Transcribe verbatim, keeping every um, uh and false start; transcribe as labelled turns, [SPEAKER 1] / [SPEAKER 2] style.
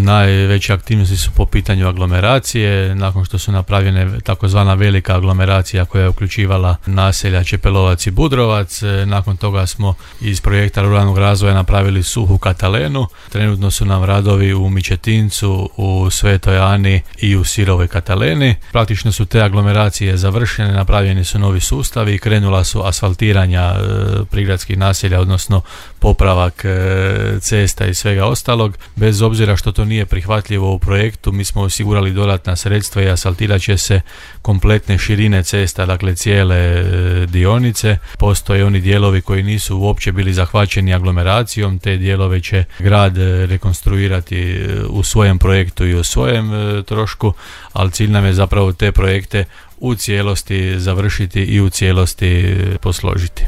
[SPEAKER 1] Najveće aktivnosti su po pitanju aglomeracije, nakon što su napravljene takozvana velika aglomeracija koja je uključivala naselja Čepelovac i Budrovac. Nakon toga smo iz projekta ruralnog razvoja napravili suhu Katalenu. Trenutno su nam radovi u Mičetincu, u Svetoj Ani i u Sirovoj Kataleni. Praktično su te aglomeracije završene, napravljeni su novi sustavi i krenula su asfaltiranja prigradskih naselja, odnosno popravak cesta i svega ostalog. Bez obzira što to nije prihvatljivo u projektu, mi smo osigurali dodatna sredstva i asfaltirat će se kompletne širine cesta, dakle cijele dionice. Postoje oni dijelovi koji nisu uopće bili zahvaćeni aglomeracijom, te dijelove će grad rekonstruirati u svojem projektu i u svojem trošku, ali cilj nam je zapravo te projekte u cijelosti završiti i u cijelosti posložiti.